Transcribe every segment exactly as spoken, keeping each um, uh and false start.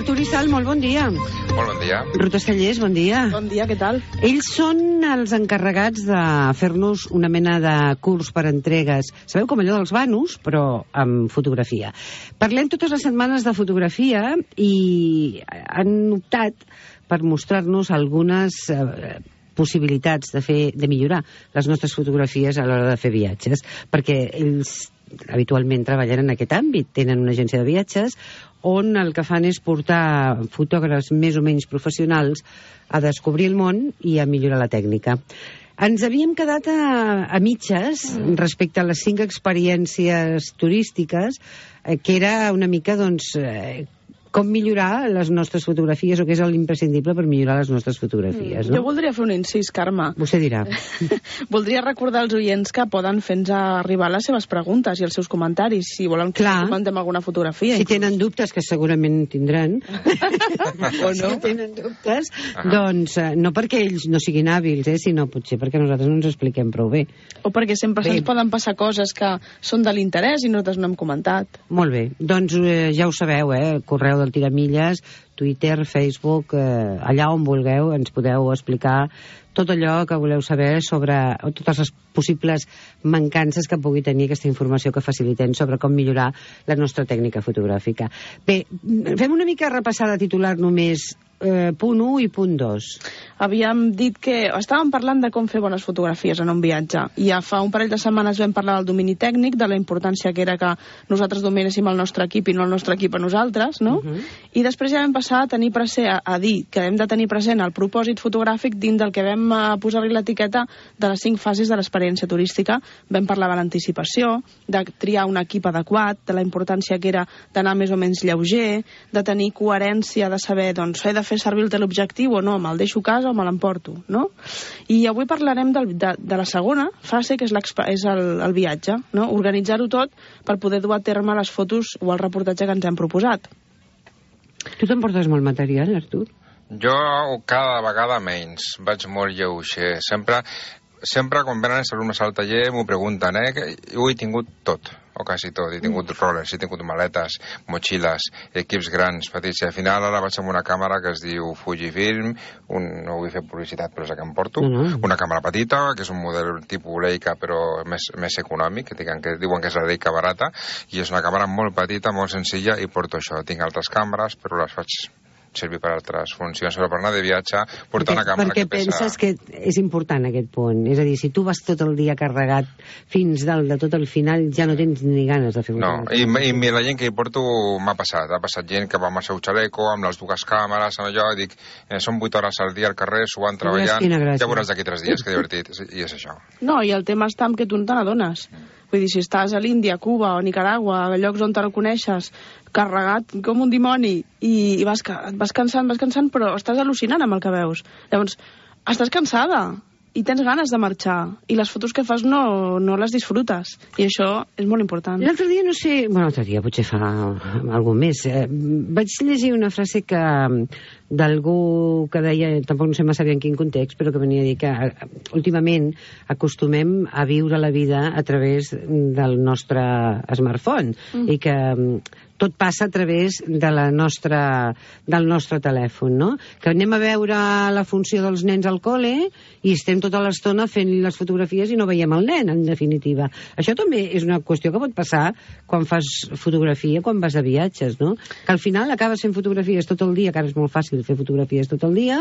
Artur i Sal, molt bon dia. Molt bon dia. Ruta Cellers, bon dia. Bon dia, què tal? Ells són els encarregats de fer-nos una mena de curs per entregues. Sabeu, com allò dels Banus, però amb fotografia. Parlem totes les setmanes de fotografia i han optat per mostrar-nos algunes eh, possibilitats de fer, de millorar les nostres fotografies a l'hora de fer viatges, perquè ells habitualment treballen en aquest àmbit, tenen una agència de viatges on el que fan és portar fotògrafs més o menys professionals a descobrir el món i a millorar la tècnica. Ens havíem quedat a, a mitges respecte a les cinc experiències turístiques, eh, que era una mica, doncs, eh, com millorar les nostres fotografies, o què és l'imprescindible per millorar les nostres fotografies, no? Jo voldria fer un incís, Carme. Vostè dirà. Voldria recordar als oients que poden fer-nos arribar les seves preguntes i els seus comentaris, si volen que Clar. comentem alguna fotografia. Si tenen dubtes, que segurament tindran, O no? si tenen dubtes, doncs eh, no perquè ells no siguin hàbils, eh, sinó potser perquè nosaltres no ens expliquem prou bé. O perquè sempre Bé. se'ns poden passar coses que són de l'interès i nosaltres no hem comentat. Molt bé, doncs eh, ja ho sabeu, eh, el correu del Tiramilles, Twitter, Facebook, eh, allà on vulgueu ens podeu explicar tot allò que voleu saber sobre totes les possibles mancances que pugui tenir aquesta informació que facilitem sobre com millorar la nostra tècnica fotogràfica. Bé, fem una mica repassada titular només, eh, punt u i punt dos. Havíem dit que estàvem parlant de com fer bones fotografies en un viatge. I ja fa un parell de setmanes vam parlar del domini tècnic, de la importància que era que nosaltres dominéssim el nostre equip i no el nostre equip a nosaltres, no? Uh -huh. I després ja vam passar a tenir present, a, a dir que hem de tenir present el propòsit fotogràfic dins del que vam uh, posar-li l'etiqueta de les cinc fases de l'experiència turística. Vam parlar de l'anticipació, de triar un equip adequat, de la importància que era d'anar més o menys lleuger, de tenir coherència, de saber, doncs, he de fer servir el teleobjectiu o no, me'l deixo a casa o me l'emporto, no? I avui parlarem del, de, de la segona fase, que és, és el, el viatge, no? Organitzar-ho tot per poder dur a terme les fotos o el reportatge que ens hem proposat. Tu t'emportes molt material, Artur? Jo cada vegada menys. Vaig molt lleuger. Sempre, sempre quan venen els alumnes al taller m'ho pregunten, eh? Que ho he tingut tot, o quasi tot. He tingut mm. rollers, he tingut maletes, motxilles, equips grans, petits. I al final ara vaig amb una càmera que es diu Fujifilm, un, no vull fer publicitat, però és la que em porto, mm. una càmera petita, que és un model tipus Leica, però més, més econòmic, que diuen, que diuen que és la Leica barata, i és una càmera molt petita, molt senzilla, i porto això. Tinc altres càmeres, però les faig servir per altres funcions, però per anar de viatge portar una càmera perquè que pesa... penses que és important aquest punt, és a dir, si tu vas tot el dia carregat fins dalt de tot el final, ja no tens ni ganes de fer una no, i, i la gent que hi porto m'ha passat, ha passat gent que va amb el seu xaleco, amb les dues càmeres, amb allò, i dic, eh, són vuit hores al dia al carrer, suant, treballant, ja veuràs d'aquí tres dies, que divertit, i és això. No, i el tema està amb que tu no te n'adones. Vull dir, si estàs a l'Índia, Cuba o Nicaragua, a llocs on te no coneixes, carregat com un dimoni, i, i vas, et vas cansant, vas cansant, però estàs al·lucinant amb el que veus. Llavors, estàs cansada i tens ganes de marxar, i les fotos que fas no, no les disfrutes, i això és molt important. L'altre dia, no sé, bueno, l'altre dia potser fa algun mes, eh, vaig llegir una frase que d'algú que deia, tampoc no sé massa bé en quin context, però que venia a dir que eh, últimament acostumem a viure la vida a través del nostre smartphone, mm. i que tot passa a través de la nostra, del nostre telèfon, no? Que anem a veure la funció dels nens al col·le i estem tota l'estona fent les fotografies i no veiem el nen, en definitiva. Això també és una qüestió que pot passar quan fas fotografia, quan vas a viatges, no? Que al final acabes fent fotografies tot el dia, que ara és molt fàcil fer fotografies tot el dia,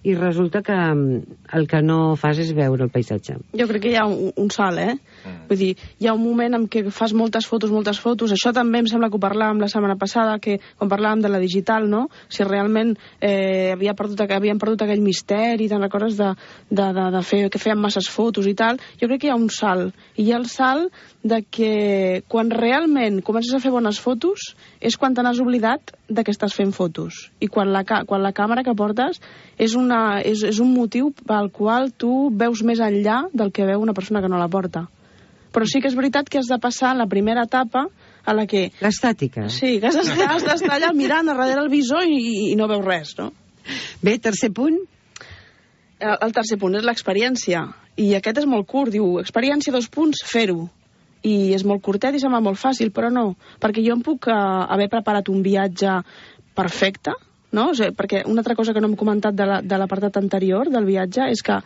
i resulta que el que no fas és veure el paisatge. Jo crec que hi ha un, un salt, eh? Mm. Vull dir, hi ha un moment en què fas moltes fotos, moltes fotos. Això també em sembla que ho parlàvem la setmana passada, que quan parlàvem de la digital, no? Si realment eh, havia perdut, havien perdut aquell misteri, te'n recordes de, de, de, de fer, que feien masses fotos i tal. Jo crec que hi ha un salt. I hi ha el salt de que quan realment comences a fer bones fotos és quan te n'has oblidat de que estàs fent fotos. I quan la, quan la càmera que portes és, una, és, és un motiu pel qual tu veus més enllà del que veu una persona que no la porta. Però sí que és veritat que has de passar la primera etapa a la que... L'estàtica. Sí, que has d'estar allà mirant a darrere el visor i, i no veus res, no? Bé, tercer punt. El, el tercer punt és l'experiència. I aquest és molt curt, diu, experiència, dos punts, fer-ho. I és molt curtet i sembla molt fàcil, però no. Perquè jo em puc uh, haver preparat un viatge perfecte, no? O sigui, perquè una altra cosa que no hem comentat de la, de l'apartat anterior del viatge és que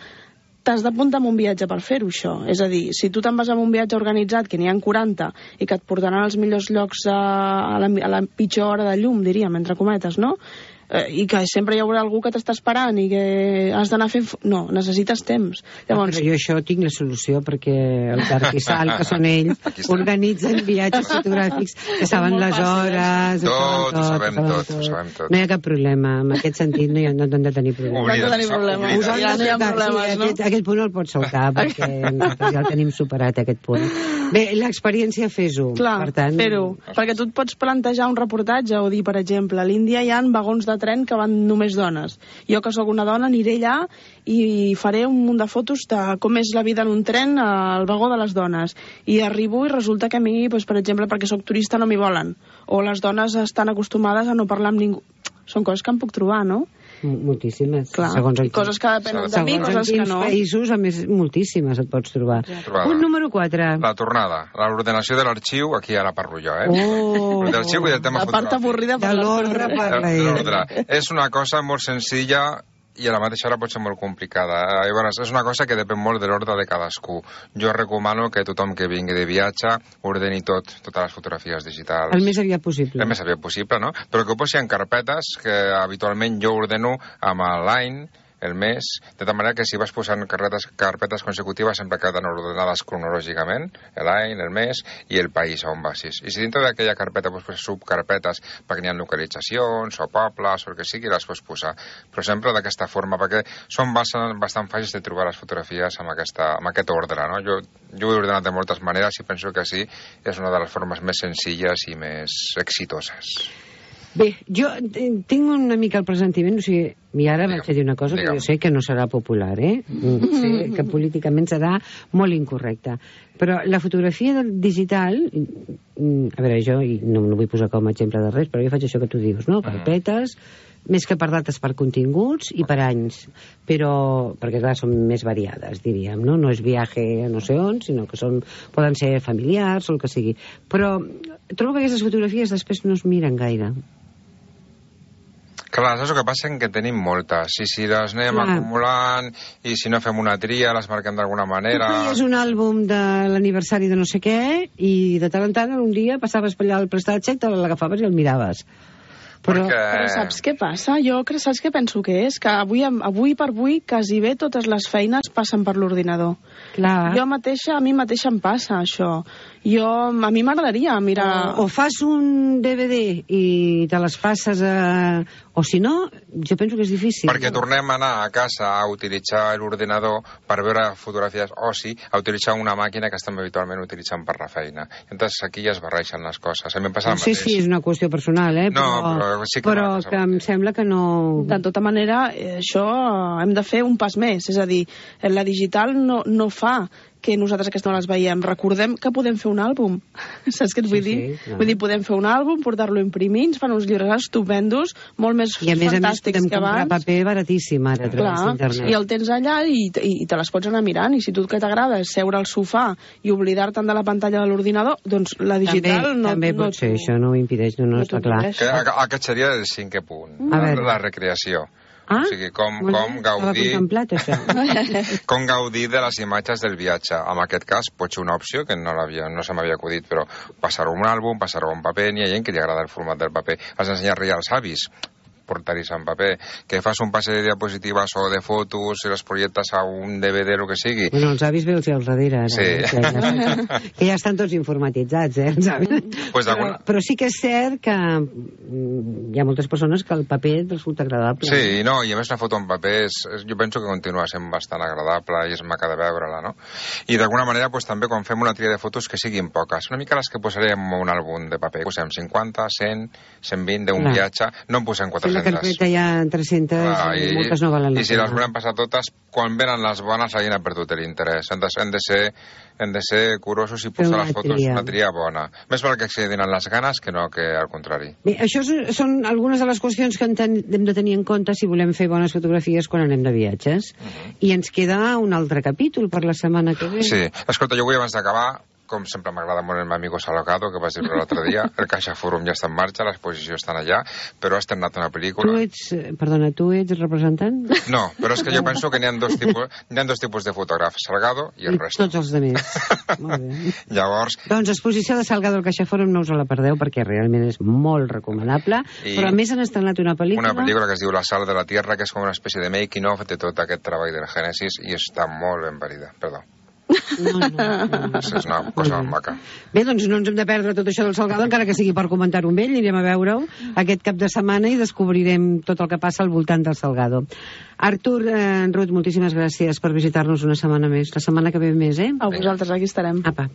t'has d'apuntar en un viatge per fer-ho, això. És a dir, si tu te'n vas amb un viatge organitzat, que n'hi ha quaranta, i que et portaran als millors llocs a, a, la, a la pitjor hora de llum, diríem, entre cometes, no? Eh, I que sempre hi haurà algú que t'està esperant i que has d'anar fent... No, necessites temps. Llavors... Però jo això tinc la solució, perquè el Dark i Sal, que són ells, organitzen viatges fotogràfics, que saben les hores... Tot, ho sabem tot, ho sabem tot. No hi ha cap problema, en aquest sentit no hi ha, no han de tenir problema. No han de tenir problema. Us han Ja no hi ha de- problemes, sí, no? aquest, aquest punt el pots saltar, perquè nosaltres ja el tenim superat, aquest punt. Bé, l'experiència fes-ho. Clar, per tant, fer-ho. Perquè tu et pots plantejar un reportatge o dir, per exemple, a l'Índia hi ha vagons de tren que van només dones. Jo, que sóc una dona, aniré allà i faré un munt de fotos de com és la vida en un tren al vagó de les dones. I arribo i resulta que a mi, doncs, per exemple, perquè sóc turista, no m'hi volen. O les dones estan acostumades a no parlar amb ningú. Són coses que em puc trobar, no? moltíssimes. Clar, segons en coses que depenen de mi, segons coses en que quins no. països, a més, moltíssimes et pots trobar. Trobada. Punt número quatre. La tornada, l'ordenació de l'arxiu, aquí ara parlo jo, eh? Oh. L'arxiu i el tema La part fotogràfic. avorrida De per l'ordre l'ordre. parla De ell. l'ordre. És una cosa molt senzilla i a la mateixa hora pot ser molt complicada. Llavors, és una cosa que depèn molt de l'ordre de cadascú. Jo recomano que tothom que vingui de viatge ordeni tot, totes les fotografies digitals. El més aviat possible. El més aviat possible, no? Però que ho posi en carpetes, que habitualment jo ordeno amb l'any, el mes, de tal manera que si vas posant carpetes, carpetes consecutives sempre queden ordenades cronològicament, l'any, el mes i el país on vas. I si dintre d'aquella carpeta pots posar subcarpetes perquè n'hi ha localitzacions o pobles o el que sigui, les pots posar. Però sempre d'aquesta forma, perquè són bastant, bastant fàcils de trobar les fotografies amb, aquesta, amb aquest ordre, no? Jo, jo ho he ordenat de moltes maneres i penso que sí, és una de les formes més senzilles i més exitoses. Bé, jo tinc una mica el presentiment, o sigui, i ara vaig a dir una cosa que jo sé que no serà popular, eh? Sé que políticament serà molt incorrecta. Però la fotografia digital, a veure, jo no, no vull posar com a exemple de res, però jo faig això que tu dius, no? Carpetes, més que per dates, per continguts i per anys. Però, perquè clar, són més variades, diríem, no? No és viatge a no sé on, sinó que són, poden ser familiars o el que sigui. Però trobo que aquestes fotografies després no es miren gaire. Clar, saps el que passa? Que tenim moltes. I si les anem Clar. acumulant, i si no fem una tria, les marquem d'alguna Tu manera... feies un àlbum de l'aniversari de no sé què i de tant en tant un dia passaves per allà al prestatge i te l'agafaves i el miraves. Però, Perquè... Però saps què passa? Jo crec, saps què penso que és? Que avui, avui per avui quasi bé totes les feines passen per l'ordinador. clar, Jo mateixa, a mi mateixa em passa això. Jo, a mi m'agradaria mirar... o, o fas un D V D i te les passes a... O si no, jo penso que és difícil. Perquè tornem a anar a casa a utilitzar l'ordinador per veure fotografies, o sí, a utilitzar una màquina que estem habitualment utilitzant per la feina. Entonces aquí ja es barreixen les coses. A mi em passa el No sé mateix. si és una qüestió personal, eh? No, però, però sí que però m'ha passat que em sembla que no... De tota manera, eh, això eh, hem de fer un pas més. És a dir, la digital no, no fa que nosaltres aquestes no les veiem. Recordem que podem fer un àlbum. Saps què et vull Sí, dir? sí, clar. Vull dir, podem fer un àlbum, portar-lo a imprimir, ens fan uns llibres estupendos, molt més I a més a més fantàstics podem que comprar abans. paper baratíssim ara a través Clar, d'internet. i el tens allà i, i, i te les pots anar mirant, i si tu el que t'agrada és seure al sofà i oblidar-te'n de la pantalla de l'ordinador, doncs la digital també, no... també no pot ser, t'ho- això no ho impedeix, no, no, no està t'ho clar. impedeix. Que a- aquest seria el cinquè punt, A la, veure. la recreació. Ah, O sigui, com, molt com bé, estava gaudir... contemplat, això. Com gaudir de les imatges del viatge. En aquest cas, pot ser una opció que no, no se m'havia acudit, però passar-ho un àlbum, passar-ho en paper, n'hi ha gent que li agrada el format del paper. Has d'ensenyar-li als avis portar-hi en paper, que fas un passe de diapositives o de fotos i les projectes a un D V D, el que sigui. Bueno, els avis veus al darrere, ara, Sí. eh, que, ja, que ja estan tots informatitzats, eh, els avis. Pues però, d'alguna- però sí que és cert que mm, hi ha moltes persones que el paper et resulta agradable. Sí, no, i a més una foto en paper és, és, jo penso que continua sent bastant agradable i és maca de veure-la, no? I d'alguna manera pues, també quan fem una tria de fotos que siguin poques, una mica les que posarem en un àlbum de paper, posem cinquanta, cent, cent vint d'un Clar. viatge, no en posem Si la quatre-centes. carpeta hi ha tres-centes, Clar, i, moltes no valen la i si pena. les volem passar totes, quan venen les bones la gent ha perdut l'interès. Hem, de, hem, de ser, hem de ser curosos i Fer posar una les fotos tria. una tria bona. Més val que se donen les ganes que no que al contrari. Bé, això són- són algunes de les qüestions que en ten, hem de tenir en compte si volem fer bones fotografies quan anem de viatges. I ens queda un altre capítol per la setmana que ve. Sí, escolta, jo vull abans d'acabar com sempre m'agrada molt el meu amigo Salgado, que vas dir l'altre dia, el Caixa Fòrum ja està en marxa, l'exposició està allà, però ha estrenat una pel·lícula... Tu ets, perdona, tu ets representant? No, però és que jo penso que n'hi ha dos tipus, n'hi ha dos tipus de fotògrafs, Salgado i el I resto. tots els altres. Molt bé. Llavors... Doncs exposició de Salgado al Caixa Fòrum, no us la perdeu, perquè realment és molt recomanable, I però a més han estrenat una pel·lícula... Una pel·lícula que es diu La Sal de la Tierra, que és com una espècie de making-of de tot aquest treball del Gènesis, i està molt ben parida, perdó. No, no, no, no. És una cosa molt maca. Bé, doncs no ens hem de perdre tot això del Salgado, encara que sigui per comentar-ho amb ell, anirem a veure-ho aquest cap de setmana i descobrirem tot el que passa al voltant del Salgado. Artur, eh, Ruth, moltíssimes gràcies per visitar-nos una setmana més. La setmana que ve més, eh? A vosaltres, aquí estarem. Apa.